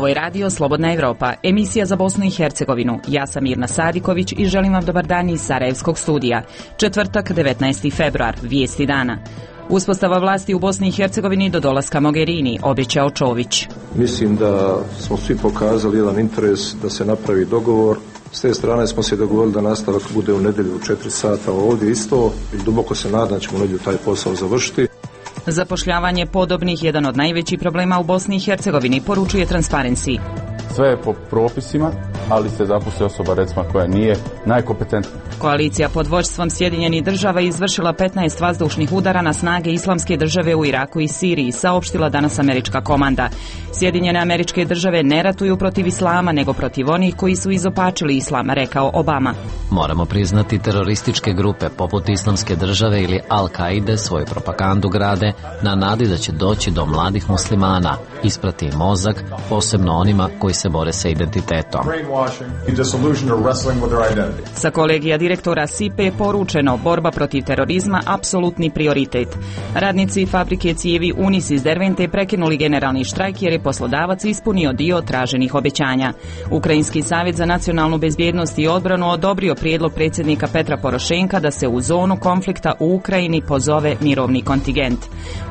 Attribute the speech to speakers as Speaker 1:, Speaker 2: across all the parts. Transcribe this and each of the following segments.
Speaker 1: Ovo je radio Slobodna Evropa, emisija za Bosnu i Hercegovinu. Ja sam Mirna Sadiković i želim vam dobar dan iz Sarajevskog studija. Četvrtak, 19. februar, vijesti dana. Uspostava vlasti u Bosni i Hercegovini do dolaska Mogherini, obećao Čović.
Speaker 2: Mislim da smo svi pokazali jedan interes da se napravi dogovor. S te strane smo se dogovorili da nastavak bude u nedjelju u 4 sata ovdje isto i duboko se nadam da ćemo u nedjelju taj posao završiti.
Speaker 1: Zapošljavanje podobnih jedan od najvećih problema u Bosni i Hercegovini, poručuje Transparency.
Speaker 3: Sve je po propisima, ali se zaposli osoba recimo koja nije najkompetentnija.
Speaker 1: Koalicija pod vođstvom Sjedinjenih država izvršila 15 vazdušnih udara na snage Islamske države u Iraku i Siriji, saopštila danas američka komanda. Sjedinjene Američke države ne ratuju protiv islama, nego protiv onih koji su izopačili islam, rekao Obama.
Speaker 4: Moramo priznati terorističke grupe poput Islamske države ili Al-Kaide svoju propagandu grade na nadi da će doći do mladih muslimana, isprati mozak, posebno onima koji se bore sa identitetom.
Speaker 1: Sa kolegija direktora SIPE je poručeno borba protiv terorizma apsolutni prioritet. Radnici fabrike cijevi Unis iz Dervente prekinuli generalni štrajk jer je poslodavac ispunio dio traženih obećanja. Ukrajinski savjet za nacionalnu bezbjednost i odbranu odobrio prijedlog predsjednika Petra Porošenka da se u zonu konflikta u Ukrajini pozove mirovni kontingent.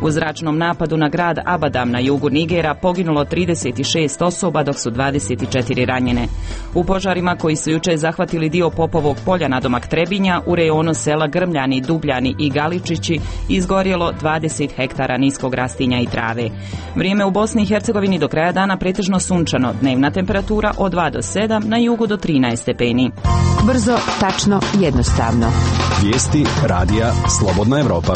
Speaker 1: U zračnom napadu na grad Abadam na jugu Nigera poginulo 36 osoba dok su 24 ranjene. U požarima koji su jučer zahvatili dio Popovog polja nadomak Trebinja u rejonu sela Grmljani, Dubljani i Galičići izgorjelo 20 hektara niskog rastinja i trave. Vrijeme u Bosni i Hercegovini do kraja dana pretežno sunčano, dnevna temperatura od 2 do 7, na jugu do 13 stepeni.
Speaker 5: Brzo, tačno, jednostavno.
Speaker 6: Vijesti radija Slobodna Evropa.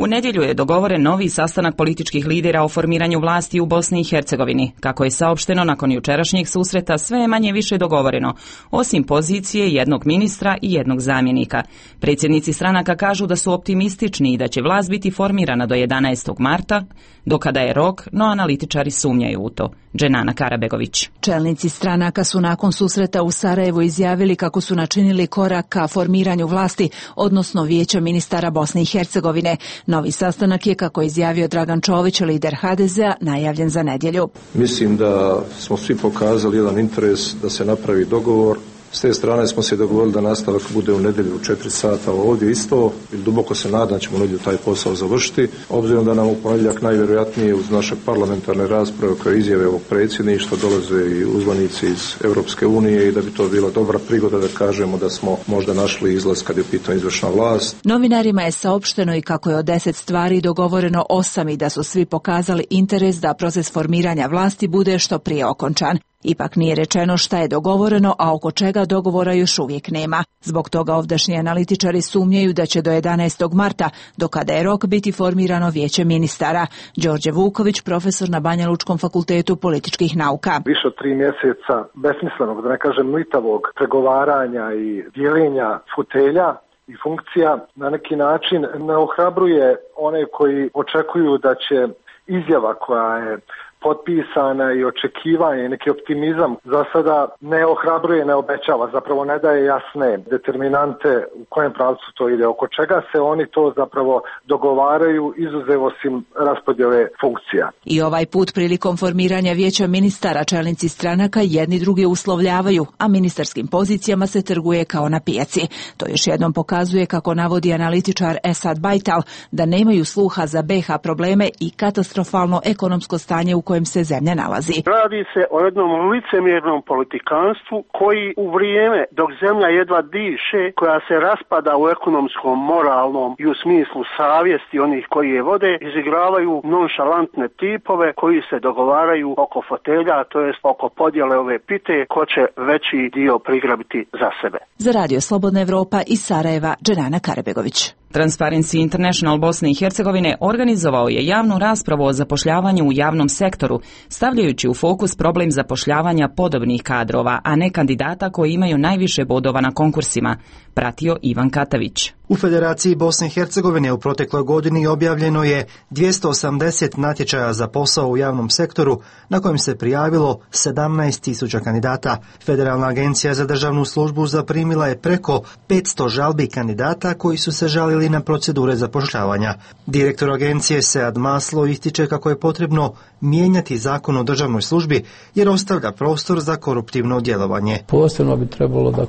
Speaker 1: U nedjelju je dogovoren novi sastanak političkih lidera o formiranju vlasti u Bosni i Hercegovini. Kako je saopšteno nakon jučerašnjeg susreta, sve je manje više dogovoreno, osim pozicije jednog ministra i jednog zamjenika. Predsjednici stranaka kažu da su optimistični i da će vlast biti formirana do 11. marta, do kada je rok, no analitičari sumnjaju u to. Dženana Karabegović.
Speaker 5: Čelnici stranaka su nakon susreta u Sarajevu izjavili kako su načinili korak ka formiranju vlasti, odnosno Vijeća ministara Bosne i Hercegovine. Novi sastanak je, kako je izjavio Dragan Čović, lider HDZ-a, najavljen za nedjelju.
Speaker 2: Mislim da smo svi pokazali jedan interes da se napravi dogovor. S te strane smo se dogovorili da nastavak bude u nedjelju u 4 sata ovdje isto i duboko se nadam da ćemo u nedjelju taj posao završiti. Obzirom da nam u ponedjeljak najvjerojatnije uz naše parlamentarne rasprave koje izjave ovog predsjedništva dolaze i uzvanici iz Europske unije i da bi to bila dobra prigoda da kažemo da smo možda našli izlaz kad je pitanje izvršna vlast.
Speaker 5: Novinarima je saopšteno i kako je od 10 stvari dogovoreno 8 i da su svi pokazali interes da proces formiranja vlasti bude što prije okončan. Ipak nije rečeno šta je dogovoreno, a oko čega dogovora još uvijek nema. Zbog toga ovdašnji analitičari sumnjaju da će do 11. marta, do kada je rok, biti formirano Vijeće ministara. Đorđe Vuković, profesor na Banja Lučkom fakultetu političkih nauka.
Speaker 7: Više od 3 mjeseca besmislenog, da ne kažem mlitavog, pregovaranja i dijeljenja fotelja i funkcija na neki način ne ohrabruje one koji očekuju da će izjava koja je potpisana i očekivanje i neki optimizam za sada ne ohrabruje, ne obećava, zapravo ne daje jasne determinante u kojem pravcu to ide, oko čega se oni to zapravo dogovaraju, izuzev osim raspodjele funkcija.
Speaker 5: I ovaj put prilikom formiranja Vijeća ministara čelnici stranaka jedni druge uslovljavaju, a ministarskim pozicijama se trguje kao na pijaci. To još jednom pokazuje, kako navodi analitičar Esad Bajtal, da nemaju sluha za BiH probleme i katastrofalno ekonomsko stanje u kojem se zemlja nalazi.
Speaker 8: Radi se o jednom licemjernom politikanstvu koji u vrijeme dok zemlja jedva diše, koja se raspada u ekonomskom, moralnom i u smislu savjesti onih koji je vode, izigravaju nonšalantne tipove koji se dogovaraju oko fotelja, to jest oko podjele ove pite, ko će veći dio prigrabiti za sebe.
Speaker 5: Za Radio Slobodna Evropa iz Sarajeva, Dženana Karabegović.
Speaker 1: Transparency International Bosne i Hercegovine organizovao je javnu raspravu o zapošljavanju u javnom sektoru, stavljajući u fokus problem zapošljavanja podobnih kadrova, a ne kandidata koji imaju najviše bodova na konkursima, pratio Ivan Katavić.
Speaker 9: U Federaciji Bosne i Hercegovine u protekloj godini objavljeno je 280 natječaja za posao u javnom sektoru na kojem se prijavilo 17.000 kandidata. Federalna agencija za državnu službu zaprimila je preko 500 žalbi kandidata koji su se žalili na procedure zapošljavanja. Direktor agencije Sead Maslo ističe kako je potrebno mijenjati zakon o državnoj službi jer ostavlja prostor za koruptivno djelovanje.
Speaker 10: Posebno bi trebalo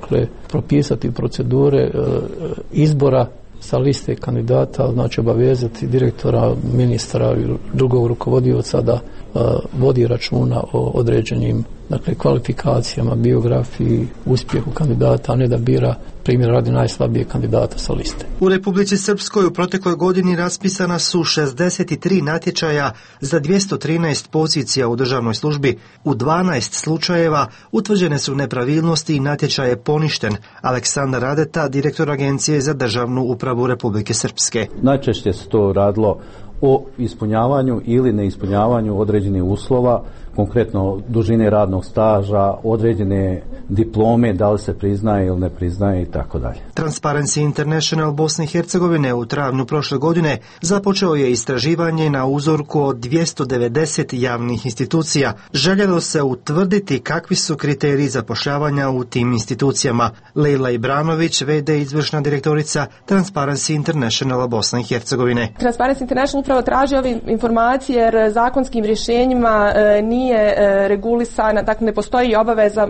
Speaker 10: propisati procedure izbora sa liste kandidata, znači obavezati direktora, ministra i drugog rukovodioca da vodi računa o određenim kvalifikacijama, biografiji, uspjehu kandidata, a ne da bira primjer radi najslabijeg kandidata sa liste.
Speaker 9: U Republici Srpskoj u protekloj godini raspisana su 63 natječaja za 213 pozicija u državnoj službi. U 12 slučajeva utvrđene su nepravilnosti i natječaj je poništen. Aleksandar Radeta, direktor Agencije za državnu upravu Republike Srpske.
Speaker 11: Najčešće se to radilo o ispunjavanju ili neispunjavanju određenih uslova, konkretno dužine radnog staža, određene diplome, da li se priznaje ili ne priznaje i tako dalje.
Speaker 9: Transparency International Bosne i Hercegovine u travnju prošle godine započeo je istraživanje na uzorku od 290 javnih institucija. Željelo se utvrditi kakvi su kriteriji zapošljavanja u tim institucijama. Lejla Ibranović, VD izvršna direktorica Transparency International Bosne i Hercegovine.
Speaker 12: Transparency International upravo traži ove informacije jer zakonskim rješenjima nije regulisana, dakle ne postoji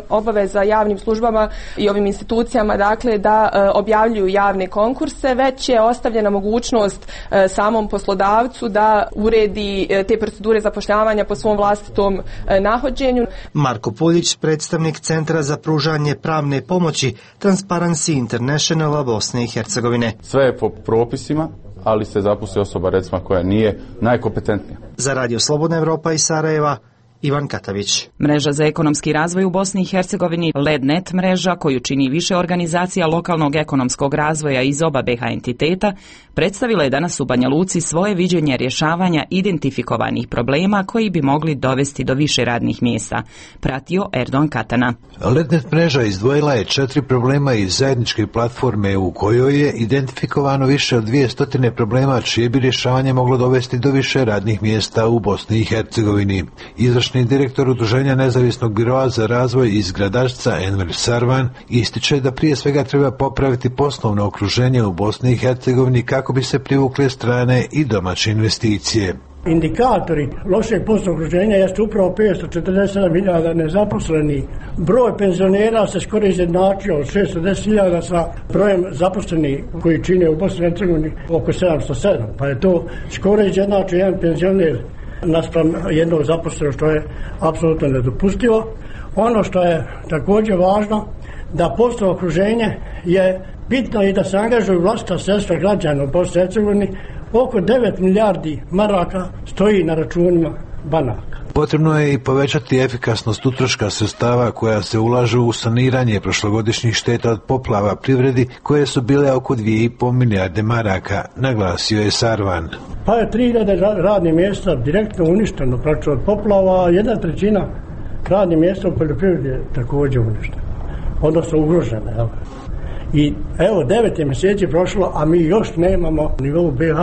Speaker 12: obaveza javnim službama i ovim institucijama da objavljuju javne konkurse, već je ostavljena mogućnost samom poslodavcu da uredi te procedure zapošljavanja po svom vlastitom nahođenju.
Speaker 9: Marko Puljić, predstavnik Centra za pružanje pravne pomoći Transparency International Bosne i Hercegovine.
Speaker 3: Sve je po propisima, ali se zaposli osoba recimo koja nije najkompetentnija.
Speaker 9: Za Radio Slobodna Evropa iz Sarajeva, Ivan Katavić.
Speaker 1: Mreža za ekonomski razvoj u Bosni i Hercegovini, LEDNET mreža, koju čini više organizacija lokalnog ekonomskog razvoja iz oba BiH entiteta, predstavila je danas u Banja Luci svoje viđenje rješavanja identifikovanih problema koji bi mogli dovesti do više radnih mjesta. Pratio Erdogan Katana.
Speaker 13: LEDNET mreža izdvojila je 4 problema iz zajedničke platforme u kojoj je identifikovano više od 200 problema čije bi rješavanje moglo dovesti do više radnih mjesta u Bosni i Hercegovini. Izvršni direktor Udruženja nezavisnog biroa za razvoj iz Gradačca Enver Sarvan ističe da prije svega treba popraviti poslovno okruženje u Bosni i Hercegovini kako bi se privukle strane i domaće investicije.
Speaker 14: Indikatori lošeg poslovnog okruženja jeste upravo 547.000 nezaposlenih. Broj penzionera se skoro izjednačio od 610.000 sa brojem zaposlenih koji čine u Bosni i Hercegovini oko 707. Pa je to skoro izjednačio jedan penzioner naspram jednog zaposlenog, što je apsolutno nedopustivo. Ono što je također važno, da poslovno okruženje je bitno i da se angažuju vlastita sredstva građana u Bosni i Hercegovini. Oko 9 milijardi maraka stoji na računima banaka.
Speaker 13: Potrebno je i povećati efikasnost utroška sredstava koja se ulažu u saniranje prošlogodišnjih šteta od poplava privredi koje su bile oko 2,5 milijarde maraka, naglasio je Sarvan.
Speaker 14: Pa je 3.000 radnih mjesta direktno uništeno praktično od poplava, a 1/3 radnih mjesta u poljoprivredi je također uništeno, odnosno ugrožena. Evo. I evo 9 mjeseci prošlo, a mi još nemamo na nivou BiH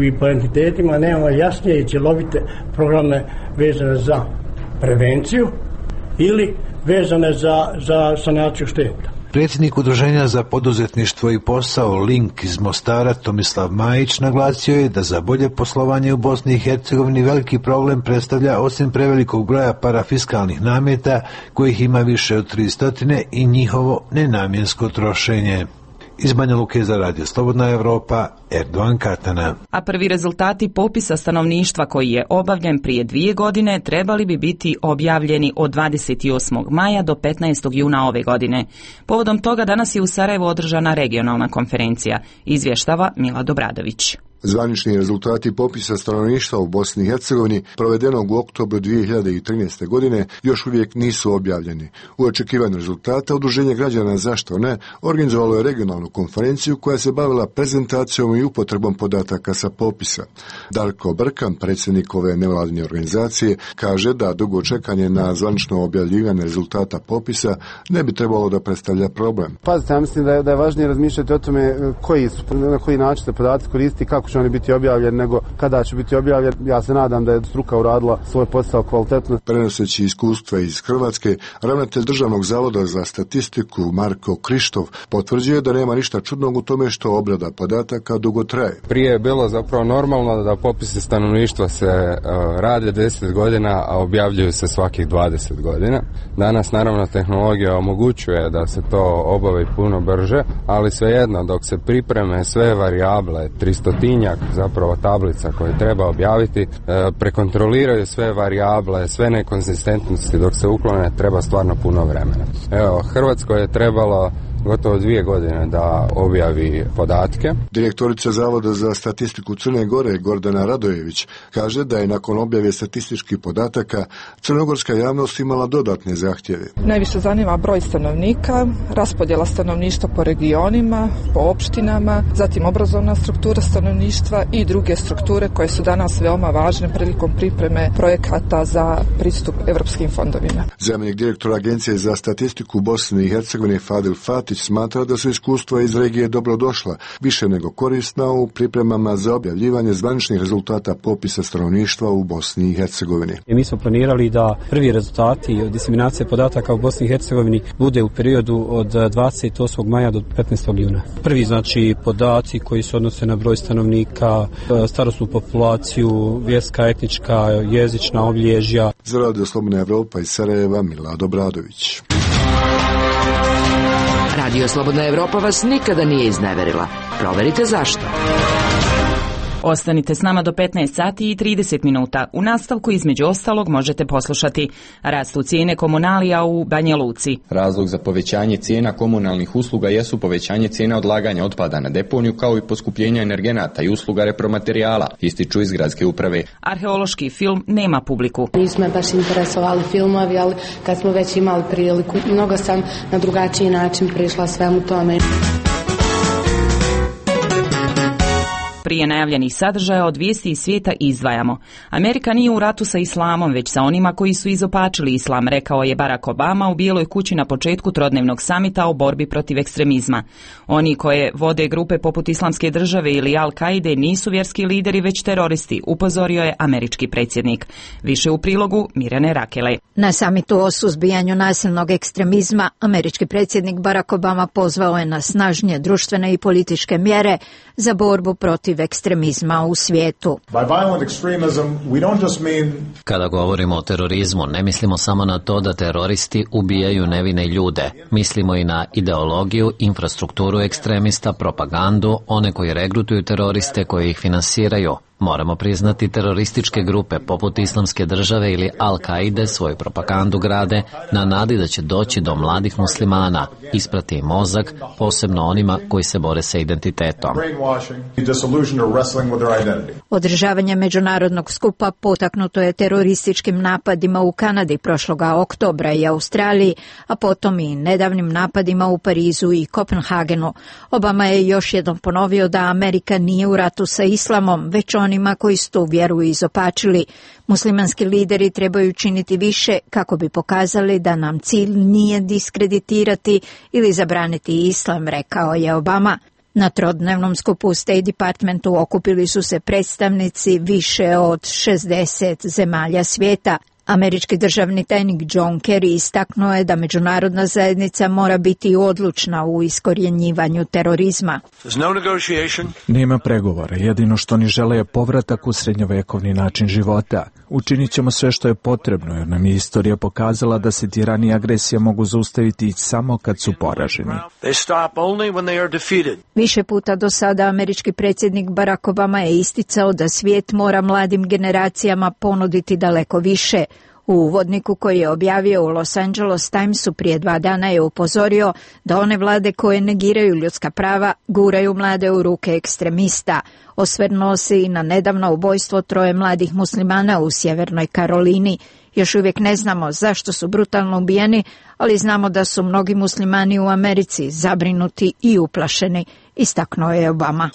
Speaker 14: i po entitetima nemamo jasnije i cjelovite programe vezane za prevenciju ili vezane za sanaciju šteta.
Speaker 13: Predsjednik Udruženja za poduzetništvo i posao Link iz Mostara Tomislav Majić naglasio je da za bolje poslovanje u Bosni i Hercegovini veliki problem predstavlja osim prevelikog broja parafiskalnih nameta kojih ima više od 300 i njihovo nenamjensko trošenje. Iz Banja Luke za Radio Slobodna Evropa, Erdogan Katana.
Speaker 1: A prvi rezultati popisa stanovništva koji je obavljen prije 2 godine trebali bi biti objavljeni od 28. maja do 15. juna ove godine. Povodom toga danas je u Sarajevu održana regionalna konferencija, izvještava Milad Obradović.
Speaker 15: Zvanični rezultati popisa stanovništva u Bosni i Hercegovini provedenog u oktobru 2013. godine još uvijek nisu objavljeni. U očekivanju rezultata Udruženje građana Zašto ne organizovalo je regionalnu konferenciju koja se bavila prezentacijom i upotrebom podataka sa popisa. Darko Brkan, predsjednik ove nevladine organizacije, kaže da dugo čekanje na zvanično objavljivanje rezultata popisa ne bi trebalo da predstavlja problem.
Speaker 16: Pazite, ja mislim da je važnije razmišljati o tome na koji način se podaci koristiti, kako će oni biti objavljeni, nego kada će biti objavljen. Ja se nadam da je struka uradila svoj posao kvalitetno.
Speaker 15: Prenoseći iskustva iz Hrvatske, ravnatelj Državnog zavoda za statistiku Marko Krištov potvrđuje da nema ništa čudnog u tome što obrada podataka dugo traje.
Speaker 17: Prije je bilo zapravo normalno da popisi stanovništva se rade 10 godina, a objavljuju se svakih 20 godina. Danas naravno tehnologija omogućuje da se to obavi puno brže, ali svejedno dok se pripreme sve varijable, 300-tinjak zapravo tablica koje treba objaviti, prekontroliraju sve varijable, sve nekonzistentnosti, dok se uklone treba stvarno puno vremena. Evo, Hrvatskoj je trebalo gotovo 2 godine da objavi podatke.
Speaker 15: Direktorica Zavoda za statistiku Crne Gore Gordana Radojević kaže da je nakon objave statističkih podataka crnogorska javnost imala dodatne zahtjeve.
Speaker 18: Najviše zanima broj stanovnika, raspodjela stanovništva po regionima, po opštinama, zatim obrazovna struktura stanovništva i druge strukture koje su danas veoma važne prilikom pripreme projekata za pristup evropskim fondovima.
Speaker 15: Zamjenik direktora Agencije za statistiku Bosne i Hercegovine Fadil Fatić smatra da su iskustva iz regije dobro došla, više nego korisna u pripremama za objavljivanje zvaničnih rezultata popisa stanovništva u Bosni i Hercegovini.
Speaker 19: Mi smo planirali da prvi rezultati od diseminacije podataka u Bosni i Hercegovini bude u periodu od 28. maja do 15. juna. Prvi znači podaci koji se odnose na broj stanovnika, starosnu populaciju, vjerska, etnička, jezična obilježja.
Speaker 15: Za Radio Slobodna Evropa iz Sarajeva, Milad Obradović.
Speaker 20: Radio Slobodna Evropa vas nikada nije izneverila. Proverite zašto.
Speaker 1: Ostanite s nama do 15 sati i 30 minuta. U nastavku između ostalog možete poslušati: rastu cijene komunalija u Banja Luci.
Speaker 21: Razlog za povećanje cijena komunalnih usluga jesu povećanje cijena odlaganja otpada na deponiju, kao i poskupljenja energenata i usluga repromaterijala, ističu iz gradske uprave.
Speaker 1: Arheološki film nema publiku.
Speaker 22: Nismo baš interesovali filmovi, ali kad smo već imali priliku, mnogo sam na drugačiji način prišla svemu tome.
Speaker 1: Prije najavljenih sadržaja od vijesti iz svijeta izdvajamo: Amerika nije u ratu sa islamom, već sa onima koji su izopačili islam, rekao je Barack Obama u Bijeloj kući na početku trodnevnog samita o borbi protiv ekstremizma. Oni koje vode grupe poput Islamske države ili Al-Kaide nisu vjerski lideri, već teroristi, upozorio je američki predsjednik. Više u prilogu Mirjane Rakele.
Speaker 23: Na samitu o suzbijanju nasilnog ekstremizma američki predsjednik Barack Obama pozvao je na snažnije društvene i političke mjere za borbu protiv ekstremizma u svijetu.
Speaker 4: Kada govorimo o terorizmu, ne mislimo samo na to da teroristi ubijaju nevine ljude. Mislimo i na ideologiju, infrastrukturu ekstremista, propagandu, one koji regrutuju teroriste, koji ih finansiraju. Moramo priznati, terorističke grupe poput Islamske države ili Al-Kaide svoju propagandu grade na nadi da će doći do mladih muslimana, isprati im mozak, posebno onima koji se bore sa identitetom.
Speaker 23: Održavanje međunarodnog skupa potaknuto je terorističkim napadima u Kanadi prošloga oktobra i Australiji, a potom i nedavnim napadima u Parizu i Kopenhagenu. Obama je još jednom ponovio da Amerika nije u ratu sa islamom, već onima koji su tu vjeru izopačili. Muslimanski lideri trebaju činiti više kako bi pokazali da nam cilj nije diskreditirati ili zabraniti islam, rekao je Obama. Na trodnevnom skupu u State Departmentu okupili su se predstavnici više od 60 zemalja svijeta. Američki državni tajnik John Kerry istaknuo je da međunarodna zajednica mora biti odlučna u iskorjenjivanju terorizma.
Speaker 24: Nema pregovora, jedino što oni žele je povratak u srednjovekovni način života. Učinit ćemo sve što je potrebno, jer nam je istorija pokazala da se tirani i agresija mogu zaustaviti samo kad su poraženi.
Speaker 23: Više puta do sada američki predsjednik Barack Obama je isticao da svijet mora mladim generacijama ponuditi daleko više. U uvodniku koji je objavio u Los Angeles Timesu prije 2 dana je upozorio da one vlade koje negiraju ljudska prava guraju mlade u ruke ekstremista. Osvrnuo se i na nedavno ubojstvo 3 mladih muslimana u Sjevernoj Karolini. Još uvijek ne znamo zašto su brutalno ubijeni, ali znamo da su mnogi muslimani u Americi zabrinuti i uplašeni, istaknuo je Obama.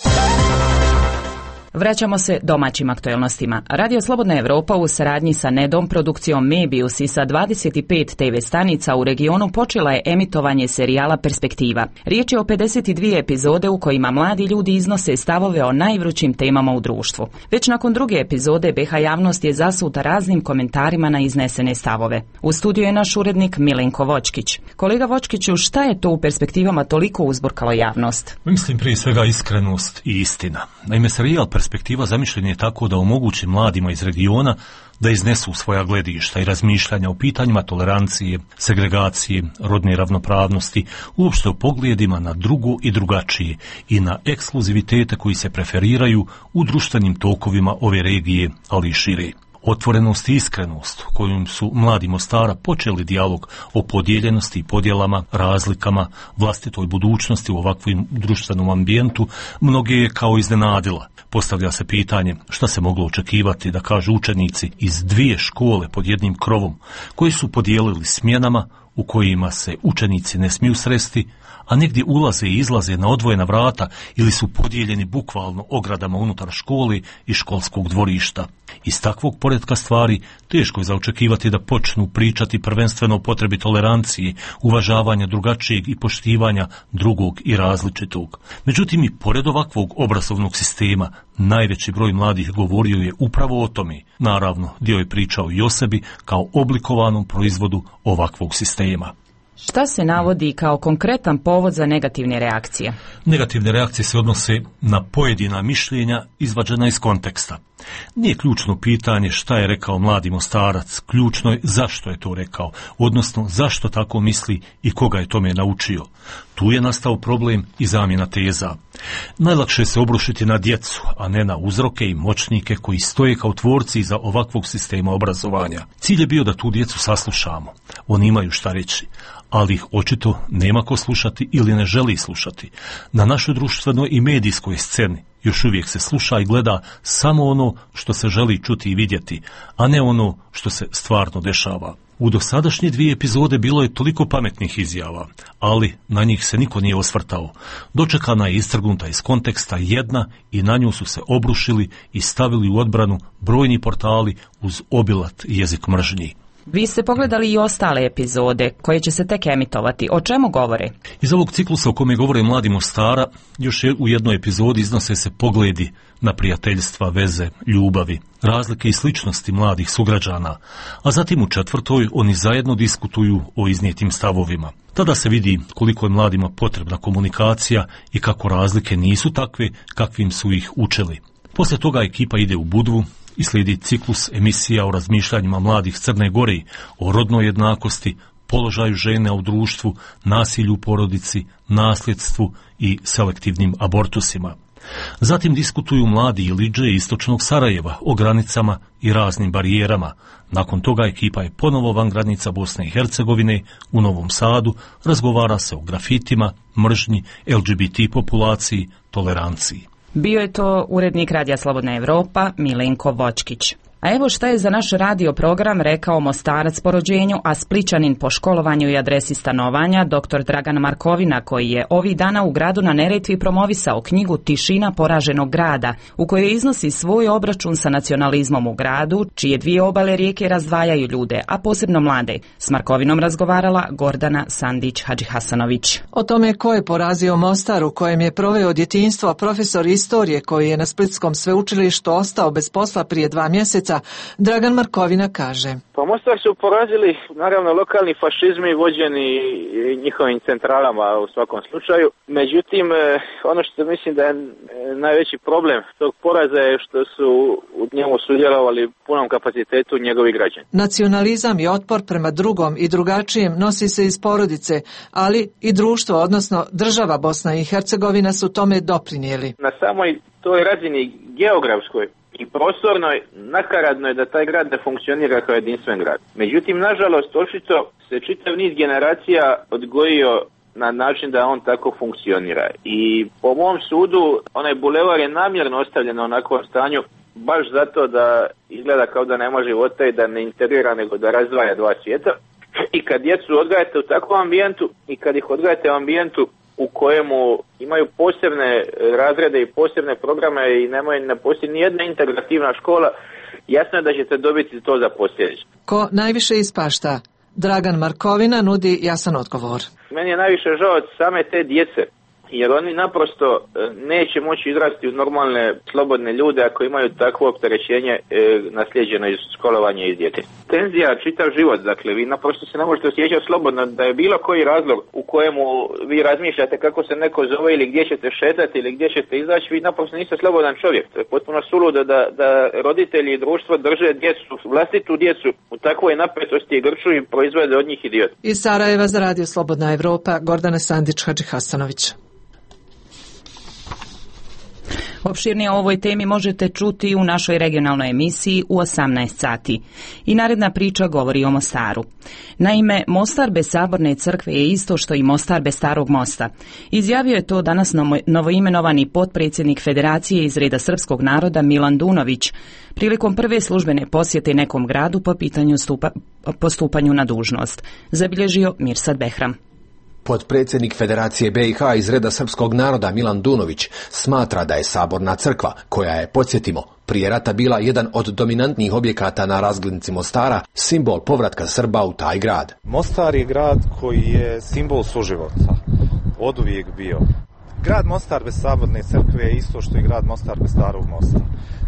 Speaker 1: Vraćamo se domaćim aktualnostima. Radio Slobodna Evropa u saradnji sa Nedom, produkcijom Mebius i sa 25 TV stanica u regionu počela je emitovanje serijala Perspektiva. Riječ je o 52 epizode u kojima mladi ljudi iznose stavove o najvrućim temama u društvu. Već nakon 2. epizode BH javnost je zasuta raznim komentarima na iznesene stavove. U studiju je naš urednik Milenko Vočkić. Kolega Vočkiću, šta je to u Perspektivama toliko uzburkalo javnost?
Speaker 2: Mislim prije svega iskrenost i istina. Naime, serijal Perspektiva zamišljen je tako da omogući mladima iz regiona da iznesu svoja gledišta i razmišljanja o pitanjima tolerancije, segregacije, rodne ravnopravnosti, uopšte o pogledima na drugo i drugačije i na ekskluzivitete koji se preferiraju u društvenim tokovima ove regije, ali i šire. Otvorenost i iskrenost kojom su mladi Mostara počeli dijalog o podijeljenosti i podjelama, razlikama, vlastitoj budućnosti u ovakvom društvenom ambijentu, mnoge je kao iznenadila. Postavlja se pitanje šta se moglo očekivati da kažu učenici iz 2 škole pod jednim krovom, koji su podijelili smjenama u kojima se učenici ne smiju sresti, a negdje ulaze i izlaze na odvojena vrata ili su podijeljeni bukvalno ogradama unutar škole i školskog dvorišta. Iz takvog poretka stvari teško je za očekivati da počnu pričati prvenstveno o potrebi tolerancije, uvažavanja drugačijeg i poštivanja drugog i različitog. Međutim, i pored ovakvog obrazovnog sistema, najveći broj mladih govorio je upravo o tome. Naravno, dio je pričao i o sebi kao oblikovanom proizvodu ovakvog sistema.
Speaker 1: Šta se navodi kao konkretan povod za negativne reakcije?
Speaker 2: Negativne reakcije se odnose na pojedina mišljenja izvađena iz konteksta. Nije ključno pitanje šta je rekao mladi Mostarac, ključno je zašto je to rekao, odnosno zašto tako misli i koga je tome naučio. Tu je nastao problem i zamjena teza. Najlakše se obrušiti na djecu, a ne na uzroke i moćnike koji stoje kao tvorci iza ovakvog sistema obrazovanja. Cilj je bio da tu djecu saslušamo. Oni imaju šta reći, ali ih očito nema ko slušati ili ne želi slušati. Na našoj društvenoj i medijskoj sceni još uvijek se sluša i gleda samo ono što se želi čuti i vidjeti, a ne ono što se stvarno dešava. U dosadašnje 2 epizode bilo je toliko pametnih izjava, ali na njih se niko nije osvrtao. Dočekana je istrgnuta iz konteksta jedna i na nju su se obrušili i stavili u odbranu brojni portali uz obilat jezik mržnji.
Speaker 1: Vi ste pogledali i ostale epizode koje će se tek emitovati. O čemu govore?
Speaker 2: Iz ovog ciklusa o kome govore mladi Mostara, još u jednoj epizodi iznose se pogledi na prijateljstva, veze, ljubavi, razlike i sličnosti mladih sugrađana, a zatim u 4. oni zajedno diskutuju o iznijetim stavovima. Tada se vidi koliko je mladima potrebna komunikacija i kako razlike nisu takve kakvim su ih učili. Poslije toga ekipa ide u Budvu i slijedi ciklus emisija o razmišljanjima mladih Crne Gore, o rodnoj jednakosti, položaju žene u društvu, nasilju u porodici, nasljedstvu i selektivnim abortusima. Zatim diskutuju mladi Ilidže istočnog Sarajeva o granicama i raznim barijerama. Nakon toga ekipa je ponovo van granica Bosne i Hercegovine u Novom Sadu, razgovara se o grafitima, mržnji, LGBT populaciji, toleranciji.
Speaker 1: Bio je to urednik Radija Slobodna Evropa Milenko Vočkić. A evo šta je za naš radio program rekao Mostarac po rođenju, a Splićanin po školovanju i adresi stanovanja, dr. Dragan Markovina, koji je ovih dana u gradu na Neretvi promovisao knjigu Tišina poraženog grada, u kojoj iznosi svoj obračun sa nacionalizmom u gradu, čije 2 obale rijeke razdvajaju ljude, a posebno mlade. S Markovinom razgovarala Gordana Sandić-Hadžihasanović.
Speaker 6: O tome ko je porazio Mostar, u kojem je proveo djetinjstvo profesor istorije koji je na Splitskom sveučilištu ostao bez posla prije 2 mjeseca, Dragan Markovina kaže.
Speaker 7: Pa Mostar su porazili naravno lokalni fašizmi vođeni njihovim centralama u svakom slučaju. Međutim, ono što mislim da je najveći problem tog poraza je što su u njemu sudjelovali punom kapacitetu njegovi građani.
Speaker 6: Nacionalizam i otpor prema drugom i drugačijem nosi se iz porodice, ali i društvo, odnosno država Bosna i Hercegovina su tome doprinijeli.
Speaker 7: Na samoj toj razini geografskoj i prostorno nakaradno je da taj grad ne funkcionira kao jedinstven grad. Međutim, nažalost, očito se čitav niz generacija odgojio na način da on tako funkcionira. I po mom sudu, onaj bulevar je namjerno ostavljen na onakvom stanju, baš zato da izgleda kao da nema života i da ne integrira, nego da razdvaja dva svijeta. I kad djecu odgajate u takvom ambijentu i kad ih odgajate u ambijentu u kojemu imaju posebne razrede i posebne programe i ne postoji ni jedna integrativna škola, jasno je da ćete dobiti to za posljedicu.
Speaker 6: Ko najviše ispašta? Dragan Markovina nudi jasan odgovor.
Speaker 7: Meni je najviše žao od same te djece, jer oni naprosto neće moći izrasti u normalne, slobodne ljude ako imaju takvo opterećenje naslijeđeno iz školovanja iz djece. Tenzija čitav život, dakle vi naprosto se ne možete osjećati slobodno da je bilo koji razlog u kojemu vi razmišljate kako se neko zove ili gdje ćete šetati ili gdje ćete izaći, vi naprosto niste slobodan čovjek. To je potpuno suludo da roditelji i društvo drže djecu, vlastitu djecu u takvoj napetosti i grču i proizvode od njih idiot.
Speaker 6: Iz Sarajeva za Radio Slobodna Evropa, Gordana Sandić-Hadžihasanović.
Speaker 1: Opširnije o ovoj temi možete čuti u našoj regionalnoj emisiji u 18 sati. I naredna priča govori o Mostaru. Naime, Mostar bez Saborne crkve je isto što i Mostar bez Starog mosta. Izjavio je to danas novoimenovani potpredsjednik Federacije iz reda srpskog naroda Milan Dunović prilikom prve službene posjete nekom gradu po pitanju postupanju na dužnost. Zabilježio Mirsad Behram.
Speaker 5: Potpredsjednik Federacije BiH iz reda srpskog naroda Milan Dunović smatra da je Saborna crkva, koja je, podsjetimo, prije rata bila jedan od dominantnih objekata na razglednici Mostara, simbol povratka Srba u taj grad.
Speaker 8: Mostar je grad koji je simbol suživota, oduvijek bio. Grad Mostar bez Saborne crkve je isto što i grad Mostar bez Starog mosta.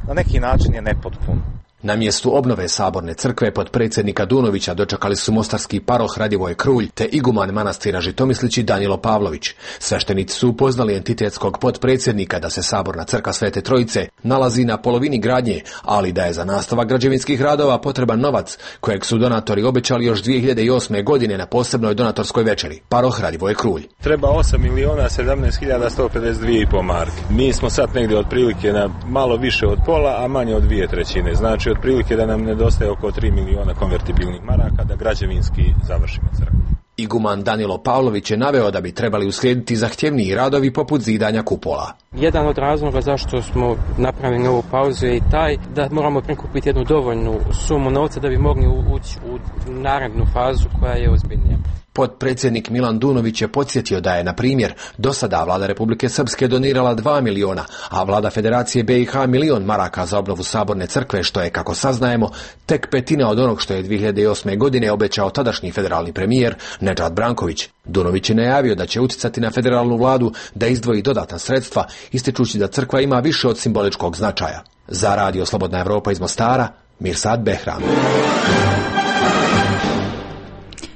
Speaker 8: Na neki način je nepotpun.
Speaker 5: Na mjestu obnove Saborne crkve potpredsjednika Dunovića dočekali su mostarski paroh Radivoje Krulj te iguman manastira Žitomislići Danilo Pavlović. Sveštenici su upoznali entitetskog potpredsjednika da se Saborna crkva Svete Trojice nalazi na polovini gradnje, ali da je za nastavak građevinskih radova potreban novac kojeg su donatori obećali još 2008. godine na posebnoj donatorskoj večeri. Paroh Radivoje Krulj.
Speaker 10: Treba 8.017.152,5 marke. Mi smo sad negdje otprilike na malo više od pola, a manje od 2/3. Znači otprilike da nam nedostaje oko 3 miliona konvertibilnih maraka da građevinski završimo crkvu.
Speaker 5: Iguman Danilo Pavlović je naveo da bi trebali uslijediti zahtjevniji radovi poput zidanja kupola.
Speaker 11: Jedan od razloga zašto smo napravili ovu pauzu je i taj da moramo prikupiti jednu dovoljnu sumu novca da bi mogli ući u narednu fazu koja je ozbiljnija.
Speaker 5: Potpredsjednik Milan Dunović je podsjetio da je, na primjer, do sada vlada Republike Srpske donirala 2 miliona, a vlada Federacije BiH 1 milion maraka za obnovu Saborne crkve, što je, kako saznajemo, tek petina od onog što je 2008. godine obećao tadašnji federalni premijer Nedžad Branković. Dunović je najavio da će utjecati na federalnu vladu da izdvoji dodatna sredstva, ističući da crkva ima više od simboličkog značaja. Za Radio Slobodna Evropa iz Mostara, Mirsad Behram.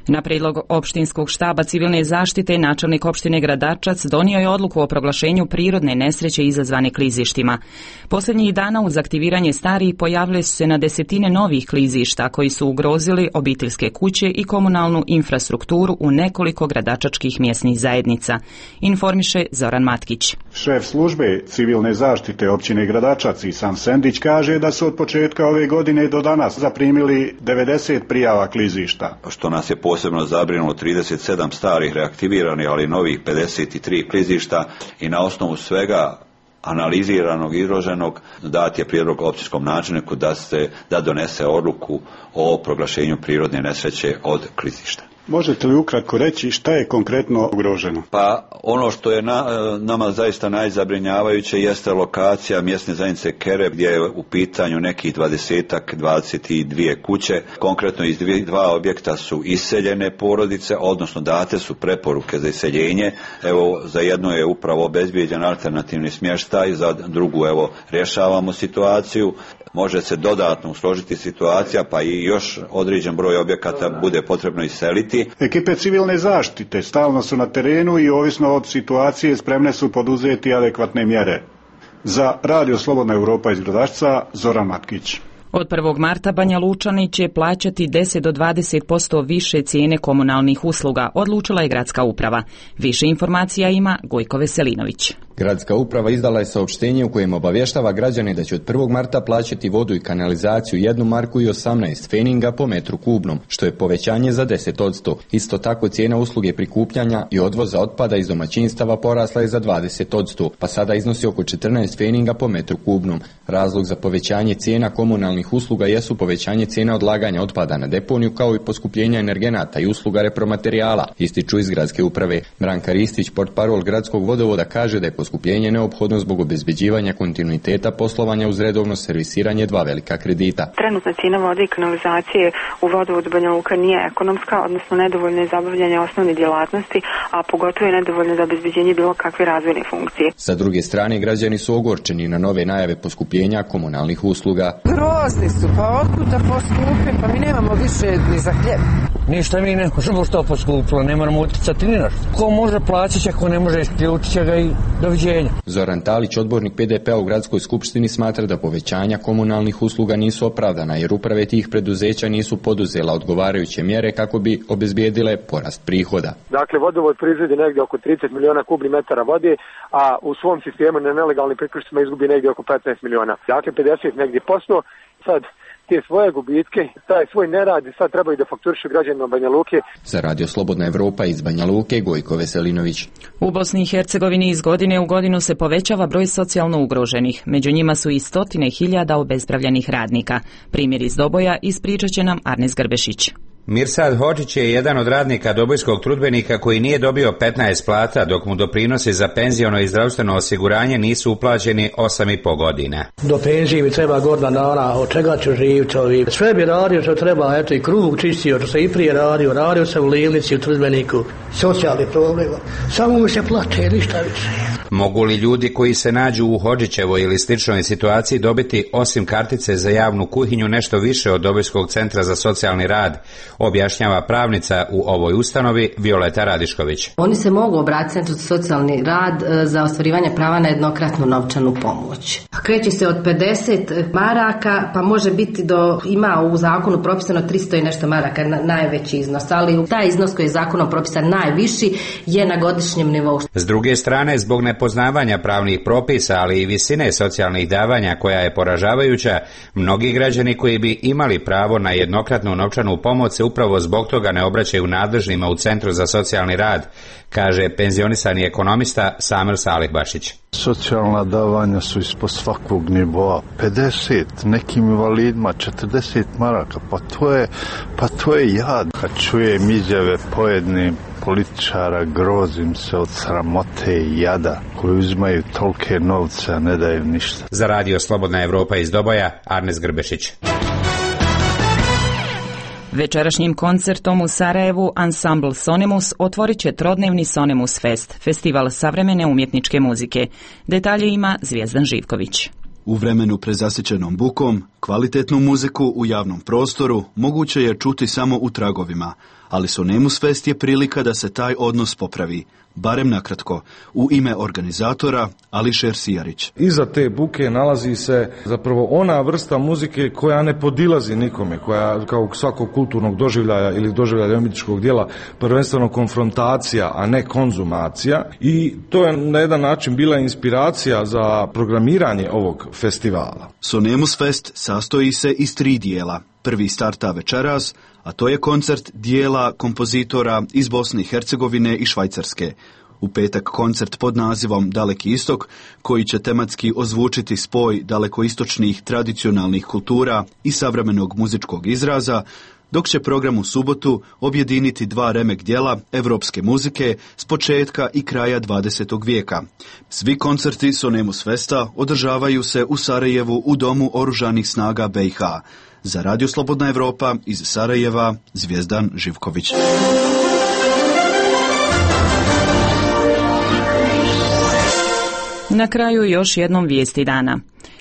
Speaker 1: Na prijedlog opštinskog štaba civilne zaštite načelnik opštine Gradačac donio je odluku o proglašenju prirodne nesreće izazvane klizištima. Posljednjih dana uz aktiviranje starih pojavile su se na desetine novih klizišta koji su ugrozili obiteljske kuće i komunalnu infrastrukturu u nekoliko gradačačkih mjesnih zajednica, informiše Zoran Matkić.
Speaker 25: Šef službe civilne zaštite općine Gradačac Isan Sendić kaže da su od početka ove godine do danas zaprimili 90 prijava klizišta.
Speaker 26: Što nas je posebno zabrinulo 37 starih reaktiviranih, ali novih 53 klizišta i na osnovu svega analiziranog i izloženog dat je prijedlog općinskom načelniku da donese odluku o proglašenju prirodne nesreće od klizišta.
Speaker 25: Možete li ukratko reći šta je konkretno ugroženo?
Speaker 26: Pa ono što je nama zaista najzabrinjavajuće jeste lokacija mjesne zajednice Kere, gdje je u pitanju nekih 22 kuće. Konkretno iz dva objekta su iseljene porodice, odnosno date su preporuke za iseljenje. Evo, za jedno je upravo obezbijeđen alternativni smještaj, za drugu rješavamo situaciju. Može se dodatno usložiti situacija, pa i još određen broj objekata bude potrebno iseliti.
Speaker 25: Ekipe civilne zaštite stalno su na terenu i ovisno od situacije spremne su poduzeti adekvatne mjere. Za Radio Slobodna Evropa iz Gradačca, Zoran Matkić.
Speaker 1: Od 1. marta Banja Lučani će plaćati 10 do 20% više cijene komunalnih usluga, odlučila je gradska uprava. Više informacija ima Gojko Veselinović.
Speaker 21: Gradska uprava izdala je saopštenje u kojem obavještava građane da će od 1. marta plaćati vodu i kanalizaciju 1 marku i 18 feninga po metru kubnom, što je povećanje za 10%. Isto tako cijena usluge prikupljanja i odvoza otpada iz domaćinstava porasla je za 20%, pa sada iznosi oko 14 feninga po metru kubnom. Razlog za povećanje cijena komunalnih usluga jesu povećanje cijena odlaganja otpada na deponiju kao i poskupljenja energenata i usluga repromaterijala, ističu iz gradske uprave. Branka Ristić, portparol gradskog vodovoda, kaže da je poskupljenje neophodno zbog obezbeđivanja kontinuiteta poslovanja uz redovno servisiranje 2 velika kredita.
Speaker 3: Trenutna cijena vode i kanalizacije u vodovodu Banja Luka nije ekonomska, odnosno nedovoljna je za obavljanje osnovne djelatnosti, a pogotovo je nedovoljna za obezbeđenje bilo kakve razvojne funkcije.
Speaker 21: Sa druge strane, građani su ogorčeni na nove najave poskupljenja komunalnih usluga.
Speaker 9: Grozni su, pa otkud da poskupe, pa mi nemamo više ni za hljeb.
Speaker 12: Ništa mi ne možemo što poskupilo, ne moramo uticati ni našto. Ko može plaćat će, ko ne može isključit će ga i doviđenja.
Speaker 21: Zoran Talić, odbornik PDP-a u gradskoj skupštini, smatra da povećanja komunalnih usluga nisu opravdana jer uprave tih preduzeća nisu poduzela odgovarajuće mjere kako bi obezbijedile porast prihoda.
Speaker 13: Dakle, vodovod proizvodi negdje oko 30 miliona kubnih metara vode, a u svom sistemu na nelegalnim priključcima izgubi negdje oko 15 miliona. Dakle, 50 negdje posto. Sad te svoje gubitke, taj svoj nerad sad trebaju da fakturišu građanima Banja Luke.
Speaker 21: Za Radio Slobodna Evropa iz Banja Luke, Gojko Veselinović.
Speaker 1: U Bosni i Hercegovini iz godine u godinu se povećava broj socijalno ugroženih. Među njima su i 100.000 obespravljenih radnika. Primjer iz Doboja ispričat će nam Arnes Grbešić.
Speaker 14: Mirsad Hodžić je jedan od radnika dobojskog trudbenika koji nije dobio 15 plata, dok mu doprinosi za penziono i zdravstveno osiguranje nisu uplaćeni 8,5 godina.
Speaker 16: Do penzije mi treba godina dana, od čega ću živjeti ovi. Sve bi radio što treba, eto i krug čistio, što se i prije radio sam u Livnici, u trudbeniku, socijalni problem. Samo mi se plaće, ništa više.
Speaker 14: Mogu li ljudi koji se nađu u Hodžićevoj ili sličnoj situaciji dobiti osim kartice za javnu kuhinju nešto više od Dobojskog centra za socijalni rad, objašnjava pravnica u ovoj ustanovi Violeta Radišković.
Speaker 27: Oni se mogu obratiti Centru za socijalni rad za ostvarivanje prava na jednokratnu novčanu pomoć. Kreće se od 50 maraka, pa može biti ima u zakonu propisano 300 i nešto maraka, najveći iznos, ali taj iznos koji je zakonom propisan najviši je na godišnjem nivou.
Speaker 14: S druge strane, zbog nepoznavanja pravnih propisa, ali i visine socijalnih davanja koja je poražavajuća, mnogi građani koji bi imali pravo na jednokratnu novčanu pomoć se upravo zbog toga ne obraćaju nadležnima u Centru za socijalni rad, kaže penzionisani ekonomista Samir Salihbašić.
Speaker 28: Socijalna davanja su ispod svakog nivoa. 50, nekim invalidima 40 maraka, pa to je jad. Kad čujem izjave pojednih političara, grozim se od sramote i jada koji uzimaju tolike novce, a ne daju ništa.
Speaker 14: Za Radio Slobodna Evropa iz Doboja, Arnes Grbešić.
Speaker 1: Večerašnjim koncertom u Sarajevu ansambl Sonemus otvorit će trodnevni Sonemus Fest, festival savremene umjetničke muzike. Detalje ima Zvijezdan Živković.
Speaker 29: U vremenu prezasićenom bukom, kvalitetnu muziku u javnom prostoru moguće je čuti samo u tragovima, ali Sonemus Fest je prilika da se taj odnos popravi, barem nakratko, u ime organizatora Ališer Sijarić.
Speaker 30: Iza te buke nalazi se zapravo ona vrsta muzike koja ne podilazi nikome, koja kao svakog kulturnog doživljaja ili doživljaja umjetničkog djela prvenstveno konfrontacija, a ne konzumacija, i to je na jedan način bila inspiracija za programiranje ovog festivala.
Speaker 29: Sonemus Fest sastoji se iz 3 dijela. Prvi starta večeras, a to je koncert dijela kompozitora iz Bosne i Hercegovine i Švajcarske. U petak koncert pod nazivom Daleki istok, koji će tematski ozvučiti spoj dalekoistočnih tradicionalnih kultura i savremenog muzičkog izraza, dok će program u subotu objediniti 2 remek djela evropske muzike s početka i kraja 20. vijeka. Svi koncerti Sonemus Festa održavaju se u Sarajevu u Domu oružanih snaga BiH. Za Radio Slobodna Evropa iz Sarajeva, Zvijezdan Živković.
Speaker 1: Na kraju još jednom vijesti dana.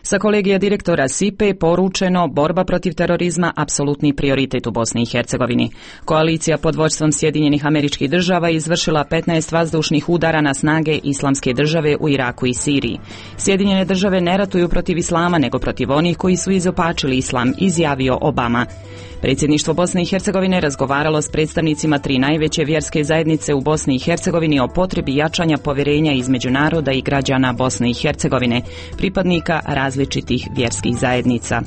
Speaker 1: Sa kolegija direktora SIPE poručeno borba protiv terorizma apsolutni prioritet u Bosni i Hercegovini. Koalicija pod vođstvom Sjedinjenih Američkih Država izvršila 15 vazdušnih udara na snage Islamske države u Iraku i Siriji. Sjedinjene države ne ratuju protiv islama nego protiv onih koji su izopačili islam, izjavio Obama. Predsjedništvo Bosne i Hercegovine razgovaralo s predstavnicima 3 najveće vjerske zajednice u Bosni i Hercegovini o potrebi jačanja povjerenja između naroda i građana Bosne i Hercegovine, pripadnika različitih vjerskih zajednica.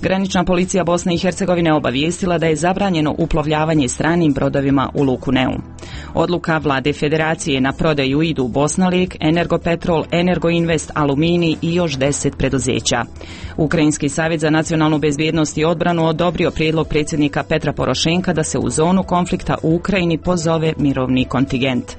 Speaker 1: Granična policija Bosne i Hercegovine obavijestila da je zabranjeno uplovljavanje stranim brodovima u luku Neum. Odluka vlade federacije na prodaju idu Bosnalek, Energopetrol, Energoinvest, Alumini i još 10 preduzeća. Ukrajinski savjet za nacionalnu bezbjednost i odbranu odobrio prijedlog predsjednika Petra Porošenka da se u zonu konflikta u Ukrajini pozove mirovni kontingent.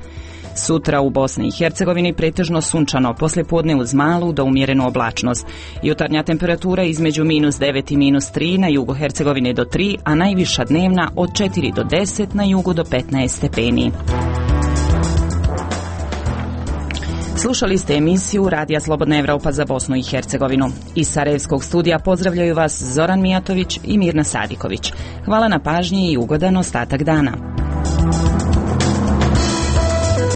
Speaker 1: Sutra u Bosni i Hercegovini pretežno sunčano, poslijepodne uz malu do umjerenu oblačnost. Jutarnja temperatura između -9 i -3, na jugu Hercegovine do 3, a najviša dnevna od 4 do 10, na jugu do 15 stepeni. Slušali ste emisiju Radija Slobodna Evropa za Bosnu i Hercegovinu. Iz Sarajevskog studija pozdravljaju vas Zoran Mijatović i Mirna Sadiković. Hvala na pažnji i ugodan ostatak dana.